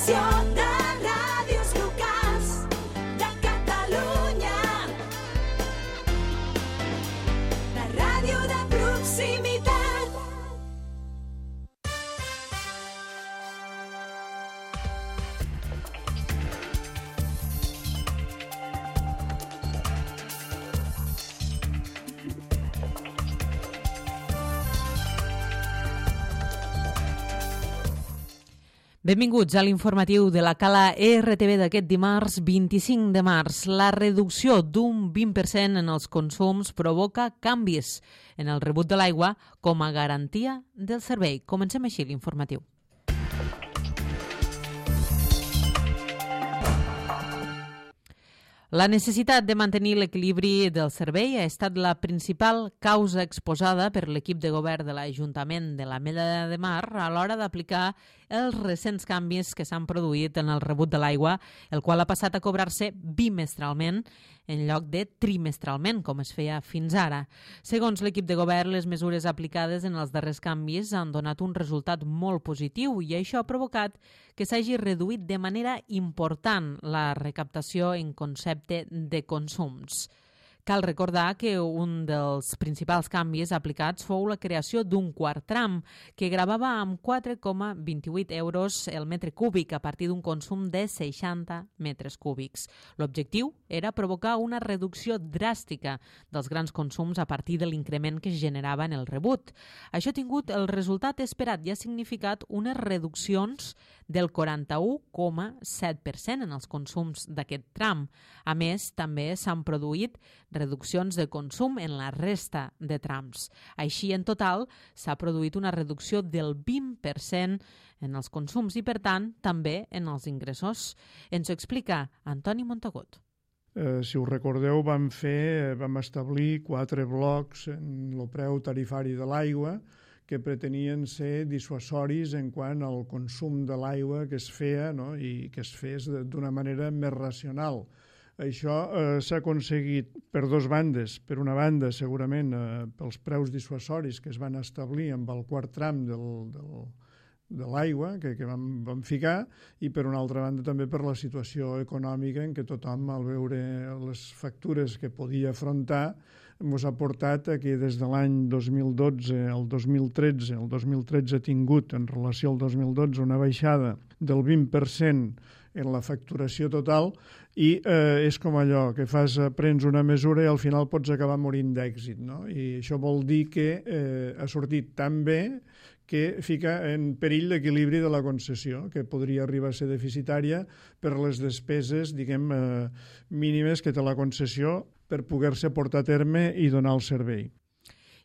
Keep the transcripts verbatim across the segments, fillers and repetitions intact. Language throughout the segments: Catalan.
Associació de Ràdios Locals de Catalunya. La ràdio de proximitat. Benvinguts a l'informatiu de la Cala R T V d'aquest dimarts vint-i-cinc de març. La reducció d'un vint per cent en els consums provoca canvis en el rebut de l'aigua com a garantia del servei. Comencem així l'informatiu. La necessitat de mantenir l'equilibri del servei ha estat la principal causa exposada per l'equip de govern de l'Ajuntament de l'Ametlla de Mar a l'hora d'aplicar els recents canvis que s'han produït en el rebut de l'aigua, el qual ha passat a cobrar-se bimestralment en lloc de trimestralment, com es feia fins ara. Segons l'equip de govern, les mesures aplicades en els darrers canvis han donat un resultat molt positiu i això ha provocat que s'hagi reduït de manera important la recaptació en concepte de consums. Cal recordar que un dels principals canvis aplicats fou la creació d'un quart tram que gravava amb quatre coma vint-i-vuit euros el metre cúbic a partir d'un consum de seixanta metres cúbics. L'objectiu era provocar una reducció dràstica dels grans consums a partir de l'increment que es generava en el rebut. Això ha tingut el resultat esperat i ha significat unes reduccions del quaranta-u coma set per cent en els consums d'aquest tram. A més, també s'han produït reduccions de consum en la resta de trams. Així, en total, s'ha produït una reducció del vint per cent en els consums i, per tant, també en els ingressos. Ens ho explica Antoni Montagut. Eh, si us recordeu, vam fer, vam establir quatre blocs en el preu tarifari de l'aigua que pretenien ser dissuasoris en quant al consum de l'aigua que es feia, no? I que es fes d'una manera més racional. Això eh, s'ha aconseguit per dues bandes. Per una banda, segurament, eh, pels preus dissuasoris que es van establir amb el quart tram del, del, de l'aigua que, que vam, vam ficar, i per una altra banda també per la situació econòmica en què tothom, al veure les factures que podia afrontar, ens ha portat a que des de l'any dos mil dotze al dos mil tretze, el dos mil tretze ha tingut en relació al dos mil dotze una baixada del vint per cent en la facturació total i eh, és com allò que fas, prens una mesura i al final pots acabar morint d'èxit, no? I això vol dir que eh, ha sortit tan bé que fica en perill l'equilibri de la concessió, que podria arribar a ser deficitària per les despeses, diguem, eh, mínimes que té la concessió per poder-se portar a terme i donar el servei.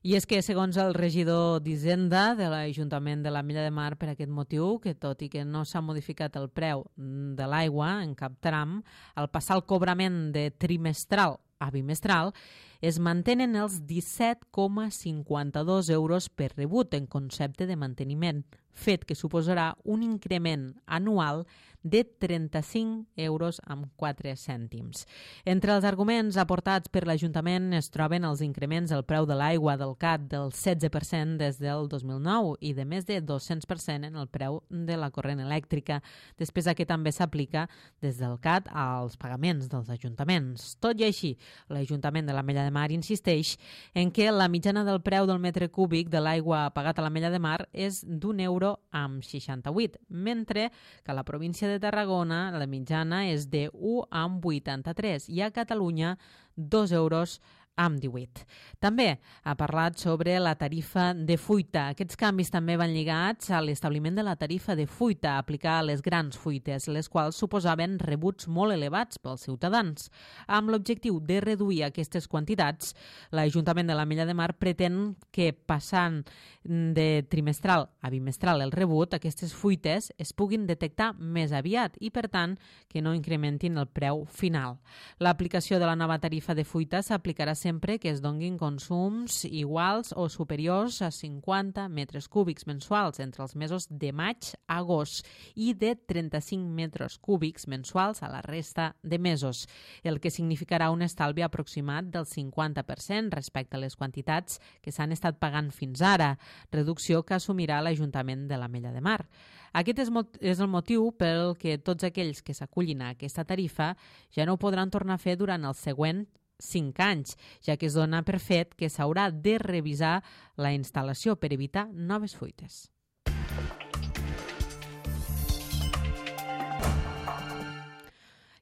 I és que, segons el regidor d'Hisenda de l'Ajuntament de l'Ametlla de Mar, per aquest motiu, que tot i que no s'ha modificat el preu de l'aigua en cap tram, al passar el cobrament de trimestral a bimestral, es mantenen els disset coma cinquanta-dos euros per rebut en concepte de manteniment, fet que suposarà un increment anual de trenta-cinc euros amb quatre cèntims. Entre els arguments aportats per l'Ajuntament es troben els increments del preu de l'aigua del C A T del setze per cent des del dos mil nou i de més de dos-cents per cent en el preu de la corrent elèctrica, despesa que també s'aplica des del C A T als pagaments dels ajuntaments. Tot i així, l'Ajuntament de l'Ametlla de Mar insisteix en que la mitjana del preu del metre cúbic de l'aigua pagat a l'Ametlla de Mar és d'un euro amb seixanta-vuit, mentre que a la província de Tarragona la mitjana és de u amb vuitanta-tres i a Catalunya dos euros amb divuit. També ha parlat sobre la tarifa de fuita. Aquests canvis també van lligats a l'establiment de la tarifa de fuita a aplicar a les grans fuites, les quals suposaven rebuts molt elevats pels ciutadans. Amb l'objectiu de reduir aquestes quantitats, l'Ajuntament de l'Ametlla de Mar pretén que, passant de trimestral a bimestral el rebut, aquestes fuites es puguin detectar més aviat i, per tant, que no incrementin el preu final. L'aplicació de la nova tarifa de fuita s'aplicarà sempre que es donguin consums iguals o superiors a cinquanta metres cúbics mensuals entre els mesos de maig a agost i de trenta-cinc metres cúbics mensuals a la resta de mesos, el que significarà un estalvi aproximat del cinquanta per cent respecte a les quantitats que s'han estat pagant fins ara, reducció que assumirà l'Ajuntament de l'Ametlla de Mar. Aquest és, és el motiu pel que tots aquells que s'acullin a aquesta tarifa ja no ho podran tornar a fer durant el següent cinc anys, ja que es dona per fet que s'haurà de revisar la instal·lació per evitar noves fuites.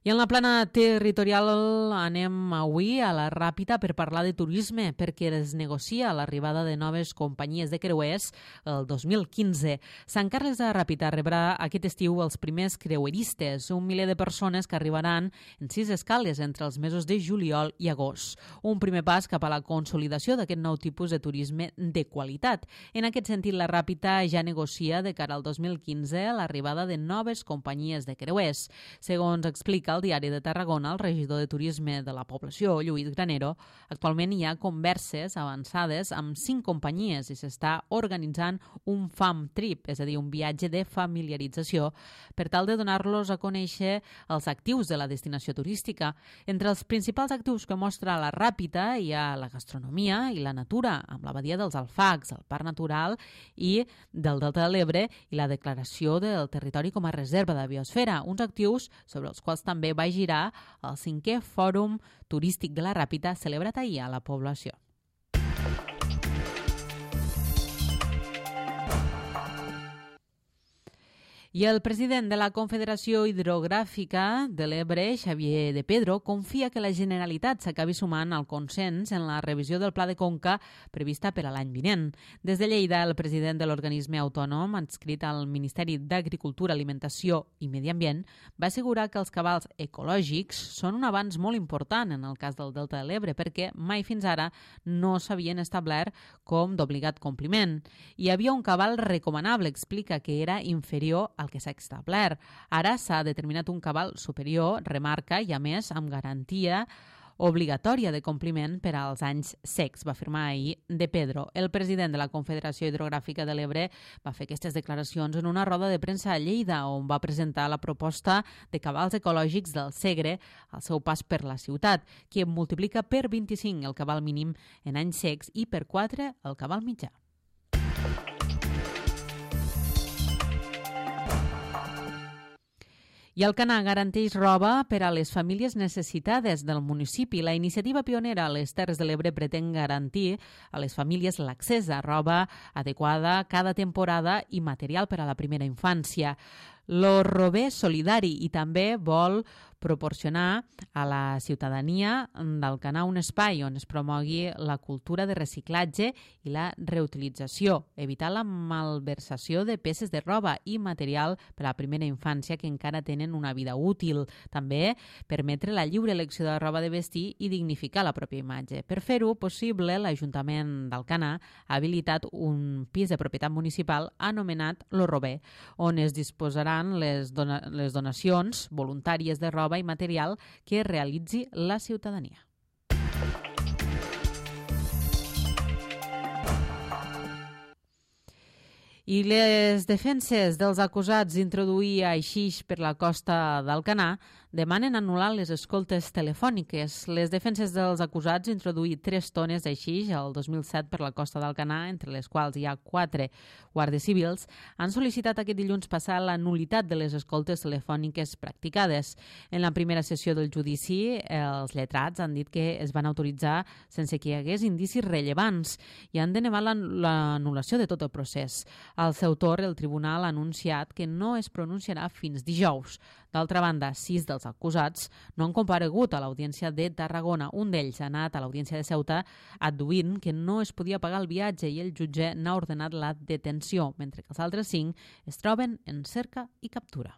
I en la plana territorial anem avui a la Ràpita per parlar de turisme, perquè es negocia l'arribada de noves companyies de creuers el dos mil quinze. Sant Carles de la Ràpita rebrà aquest estiu els primers creueristes, un miler de persones que arribaran en sis escales entre els mesos de juliol i agost. Un primer pas cap a la consolidació d'aquest nou tipus de turisme de qualitat. En aquest sentit, la Ràpita ja negocia de cara al dos mil quinze l'arribada de noves companyies de creuers. Segons explica al Diari de Tarragona, el regidor de Turisme de la població, Lluís Granero, actualment hi ha converses avançades amb cinc companyies i s'està organitzant un fam trip, és a dir, un viatge de familiarització, per tal de donar-los a conèixer els actius de la destinació turística. Entre els principals actius que mostra la Ràpita hi ha la gastronomia i la natura, amb la badia dels Alfacs, el Parc Natural i del Delta de l'Ebre i la declaració del territori com a reserva de biosfera, uns actius sobre els quals també També va girar el cinquè Fòrum Turístic de la Ràpita celebrat ahir a la població. I el president de la Confederació Hidrogràfica de l'Ebre, Xavier de Pedro, confia que la Generalitat s'acabi sumant al consens en la revisió del Pla de Conca prevista per a l'any vinent. Des de Lleida, el president de l'organisme autònom, adscrit al Ministeri d'Agricultura, Alimentació i Medi Ambient, va assegurar que els cabals ecològics són un avanç molt important en el cas del Delta de l'Ebre, perquè mai fins ara no s'havien establert com d'obligat compliment. Hi havia un cabal recomanable, explica, que era inferior al que s'ha establert. Ara s'ha determinat un cabal superior, remarca, i a més amb garantia obligatòria de compliment per als anys secs, va afirmar ahir de Pedro. El president de la Confederació Hidrogràfica de l'Ebre va fer aquestes declaracions en una roda de premsa a Lleida, on va presentar la proposta de cabals ecològics del Segre al seu pas per la ciutat, que multiplica per vint-i-cinc el cabal mínim en anys secs i per quatre el cabal mitjà. I Alcanar garanteix roba per a les famílies necessitades del municipi. La iniciativa pionera a les Terres de l'Ebre pretén garantir a les famílies l'accés a roba adequada cada temporada i material per a la primera infància. Lo Robé Solidari i també vol proporcionar a la ciutadania d'Alcanar un espai on es promogui la cultura de reciclatge i la reutilització, evitar la malversació de peces de roba i material per a la primera infància que encara tenen una vida útil. També permetre la lliure elecció de la roba de vestir i dignificar la pròpia imatge. Per fer-ho possible, l'Ajuntament d'Alcanar ha habilitat un pis de propietat municipal anomenat Lo Robé, on es disposaran les, dona les donacions voluntàries de roba i material que realitzi la ciutadania. I les defenses dels acusats d'introduir haixix per la costa d'Alcanar demanen anul·lar les escoltes telefòniques. Les defenses dels acusats d'introduir tres tones d'aixix el dos mil set per la costa d'Alcanar, entre les quals hi ha quatre guàrdies civils, han sol·licitat aquest dilluns passar la nul·litat de les escoltes telefòniques practicades. En la primera sessió del judici, els lletrats han dit que es van autoritzar sense que hi hagués indicis rellevants i han denegat l'anul·lació de tot el procés. Al seu torn, el tribunal ha anunciat que no es pronunciarà fins dijous. D'altra banda, sis dels acusats no han comparegut a l'audiència de Tarragona. Un d'ells ha anat a l'audiència de Ceuta adduint que no es podia pagar el viatge i el jutge n'ha ordenat la detenció, mentre que els altres cinc es troben en cerca i captura.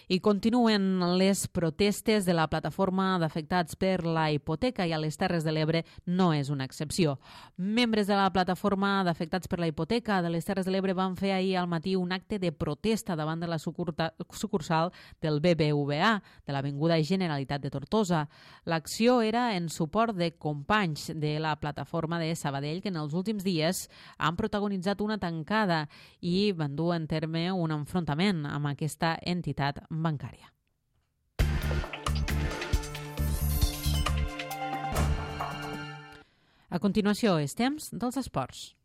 I continuen les protestes de la plataforma d'afectats per la hipoteca i a les Terres de l'Ebre no és una excepció. Membres de la plataforma d'afectats per la hipoteca de les Terres de l'Ebre van fer ahir al matí un acte de protesta davant de la sucursal del B B V A de l'Avinguda Generalitat de Tortosa. L'acció era en suport de companys de la plataforma de Sabadell que en els últims dies han protagonitzat una tancada i van dur en terme un enfrontament amb aquesta entitat bancària. A continuació, és temps dels esports.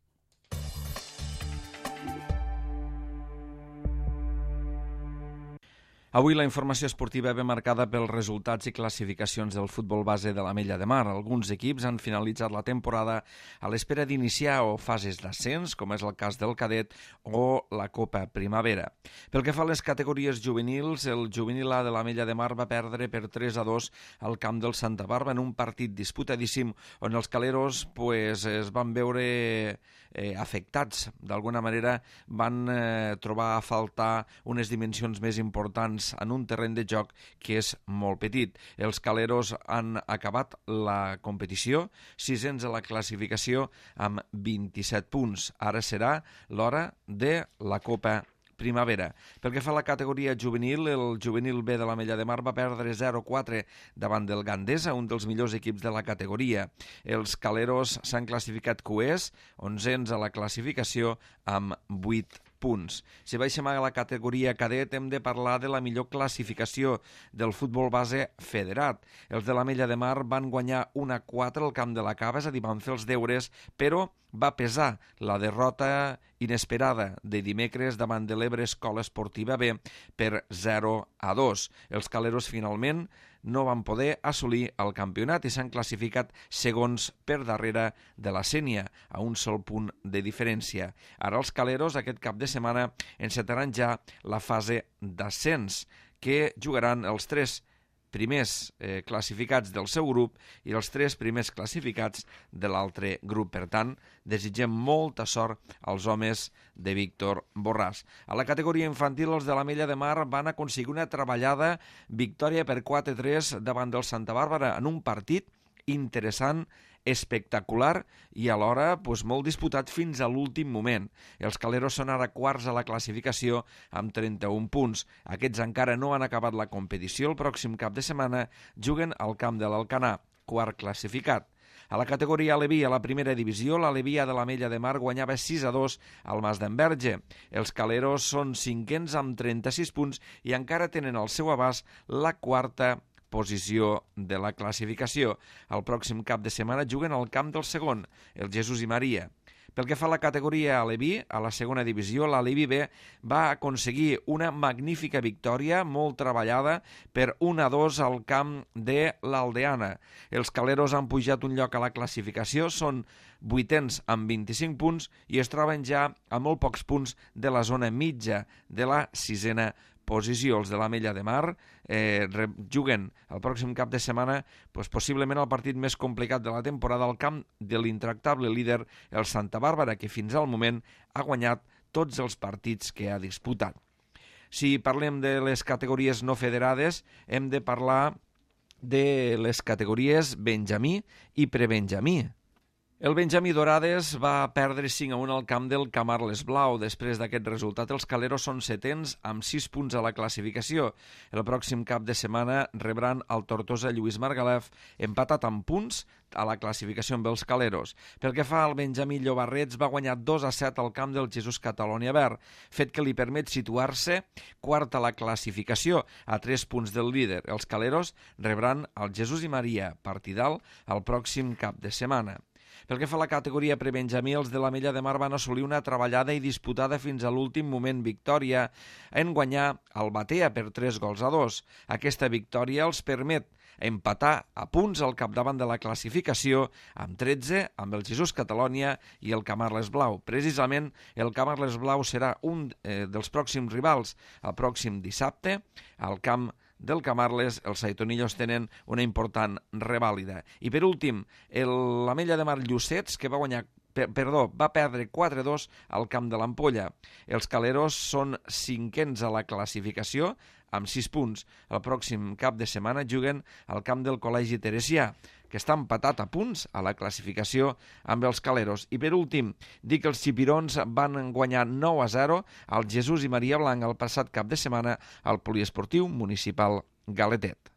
Avui la informació esportiva ve marcada pels resultats i classificacions del futbol base de l'Ametlla de Mar. Alguns equips han finalitzat la temporada a l'espera d'iniciar o fases d'ascens, com és el cas del cadet o la Copa Primavera. Pel que fa a les categories juvenils, el juvenil A de l'Ametlla de Mar va perdre per tres a dos al camp del Santa Bàrbara en un partit disputadíssim on els caleros pues, es van veure eh, afectats. D'alguna manera van eh, trobar a faltar unes dimensions més importants en un terreny de joc que és molt petit. Els caleros han acabat la competició, sisens a la classificació amb vint-i-set punts. Ara serà l'hora de la Copa Primavera. Pel que fa a la categoria juvenil, el juvenil B de l'Ametlla de Mar va perdre zero a quatre davant del Gandesa, un dels millors equips de la categoria. Els caleros s'han classificat cuers, onzens a la classificació amb vuit punts. Si baixem a la categoria cadet, hem de parlar de la millor classificació del futbol base federat. Els de l'Ametlla de Mar van guanyar un a quatre al camp de la Cava, és a dir, van fer els deures, però va pesar la derrota inesperada de dimecres davant de l'Ebre Escola Esportiva B per zero a dos. Els caleros finalment no van poder assolir el campionat i s'han classificat segons per darrere de la Sénia, a un sol punt de diferència. Ara els caleros aquest cap de setmana encetaran ja la fase d'ascens, que jugaran els tres primers eh, classificats del seu grup i els tres primers classificats de l'altre grup. Per tant, desitgem molta sort als homes de Víctor Borràs. A la categoria infantil, els de l'Ametlla de Mar van aconseguir una treballada victòria per quatre a tres davant del Santa Bàrbara en un partit interessant, espectacular i alhora pues, molt disputat fins a l'últim moment. Els caleros són ara quarts a la classificació amb trenta-un punts. Aquests encara no han acabat la competició. El pròxim cap de setmana juguen al camp de l'Alcanar, quart classificat. A la categoria Aleví, a la primera divisió, l'Aleví de l'Ametlla de Mar guanyava sis a dos al Mas d'Enverge. Els caleros són cinquens amb trenta-sis punts i encara tenen al seu abast la quarta posició de la classificació. El pròxim cap de setmana juguen al camp del segon, el Jesús i Maria. Pel que fa a la categoria Aleví, a la segona divisió, l'Aleví B va aconseguir una magnífica victòria, molt treballada, per un a dos al camp de l'Aldeana. Els caleros han pujat un lloc a la classificació, són vuitens amb vint-i-cinc punts i es troben ja a molt pocs punts de la zona mitja de la sisena posició. Els de l'Ametlla de Mar eh, juguen el pròxim cap de setmana pues, possiblement el partit més complicat de la temporada al camp de l'intractable líder, el Santa Bàrbara, que fins al moment ha guanyat tots els partits que ha disputat. Si parlem de les categories no federades, hem de parlar de les categories Benjamí i Prebenjamí. El Benjamí Dorades va perdre cinc a un al camp del Camarles Blau. Després d'aquest resultat, els caleros són setens amb sis punts a la classificació. El pròxim cap de setmana rebran el Tortosa Lluís Margalef, empatat amb punts a la classificació amb els caleros. Pel que fa al Benjamí Llobarrets, va guanyar dos a set al camp del Jesús Catalonia Verd, fet que li permet situar-se quart a la classificació, a tres punts del líder. Els caleros rebran el Jesús i Maria, partidal, el pròxim cap de setmana. Pel que fa a la categoria Prebenjamí, els de l'Ametlla de Mar van assolir una treballada i disputada fins a l'últim moment victòria en guanyar el Batea per tres gols a dos. Aquesta victòria els permet empatar a punts al capdavant de la classificació amb tretze amb el Jesús Catalonia i el Camarles Blau. Precisament el Camarles Blau serà un eh, dels pròxims rivals el pròxim dissabte al camp del Camarles. Els saitonillos tenen una important revàlida. I per últim, l'Ametlla de Mar Llucets, que va guanyar per, perdó, va perdre quatre a dos al camp de l'Ampolla. Els caleros són cinquens a la classificació, amb sis punts. El pròxim cap de setmana juguen al camp del Col·legi Teresià, que està empatat a punts a la classificació amb els caleros. I per últim, dir que els xipirons van guanyar nou a zero al Jesús i Maria Blanc el passat cap de setmana al poliesportiu municipal Galetet.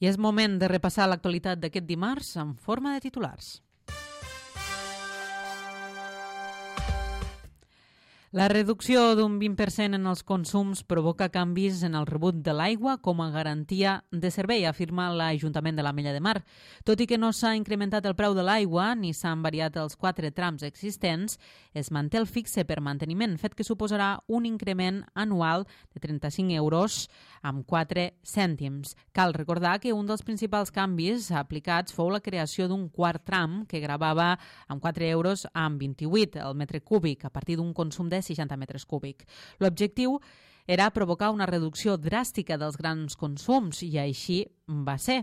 I és moment de repassar l'actualitat d'aquest dimarts en forma de titulars. La reducció d'un vint per cent en els consums provoca canvis en el rebut de l'aigua com a garantia de servei, afirma l'Ajuntament de l'Ametlla de Mar. Tot i que no s'ha incrementat el preu de l'aigua ni s'han variat els quatre trams existents, es manté el fixe per manteniment, fet que suposarà un increment anual de trenta-cinc euros amb quatre cèntims. Cal recordar que un dels principals canvis aplicats fou la creació d'un quart tram que gravava amb quatre euros amb vint-i-vuit el metre cúbic a partir d'un consum de seixanta metres cúbic. L'objectiu era provocar una reducció dràstica dels grans consums i així va ser.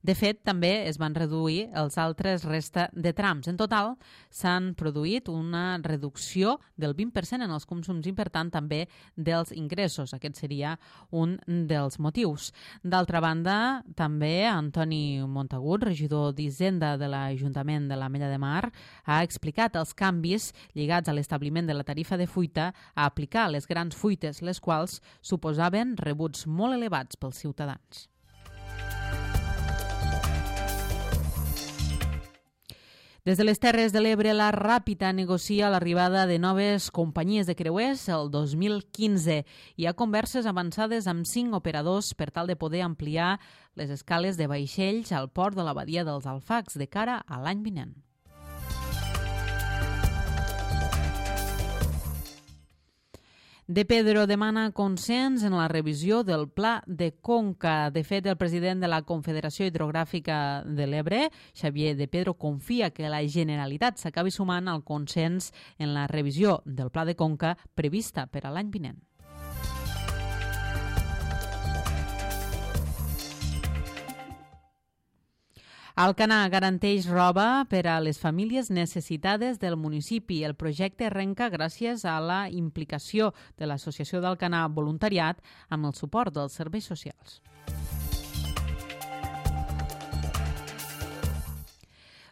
De fet, també es van reduir els altres resta de trams. En total, s'han produït una reducció del vint per cent en els consums i, per tant, també dels ingressos. Aquest seria un dels motius. D'altra banda, també Antoni Montagut, regidor d'Hisenda de l'Ajuntament de l'Ametlla de Mar, ha explicat els canvis lligats a l'establiment de la tarifa de fuita a aplicar a les grans fuites, les quals suposaven rebuts molt elevats pels ciutadans. Des de les Terres de l'Ebre, la Ràpita negocia l'arribada de noves companyies de creuers el dos mil quinze. Hi ha converses avançades amb cinc operadors per tal de poder ampliar les escales de vaixells al port de la badia dels Alfacs de cara a l'any vinent. De Pedro demana consens en la revisió del Pla de Conca. De fet, el president de la Confederació Hidrogràfica de l'Ebre, Xavier De Pedro, confia que la Generalitat s'acabi sumant al consens en la revisió del Pla de Conca prevista per a l'any vinent. Alcanar garanteix roba per a les famílies necessitades del municipi. El projecte arrenca gràcies a la implicació de l'Associació d'Alcanar Voluntariat amb el suport dels serveis socials.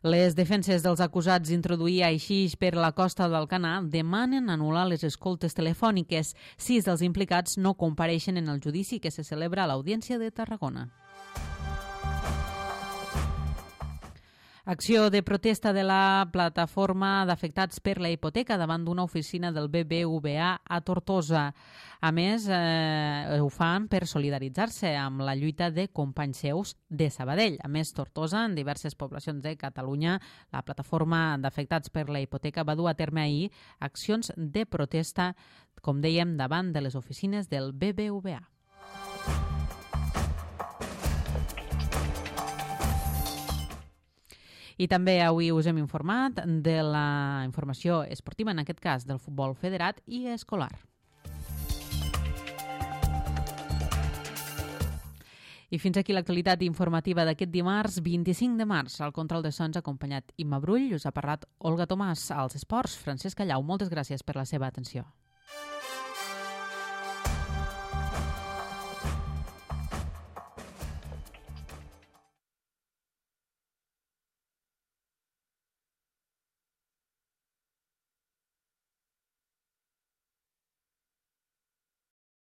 Les defenses dels acusats d'introduir haixix per la costa d'Alcanar demanen anul·lar les escoltes telefòniques. Sis dels implicats no compareixen en el judici que se celebra a l'Audiència de Tarragona. Acció de protesta de la plataforma d'afectats per la hipoteca davant d'una oficina del B B V A a Tortosa. A més, eh, ho fan per solidaritzar-se amb la lluita de companys seus de Sabadell. A més, Tortosa, en diverses poblacions de Catalunya, la plataforma d'afectats per la hipoteca va dur a terme ahir accions de protesta, com dèiem, davant de les oficines del B B V A. I també avui us hem informat de la informació esportiva, en aquest cas del futbol federat i escolar. I fins aquí l'actualitat informativa d'aquest dimarts, vint-i-cinc de març. Al control de sons acompanyat Imma Brull, us ha parlat Olga Tomàs. Als esports, Francesc Callau. Moltes gràcies per la seva atenció.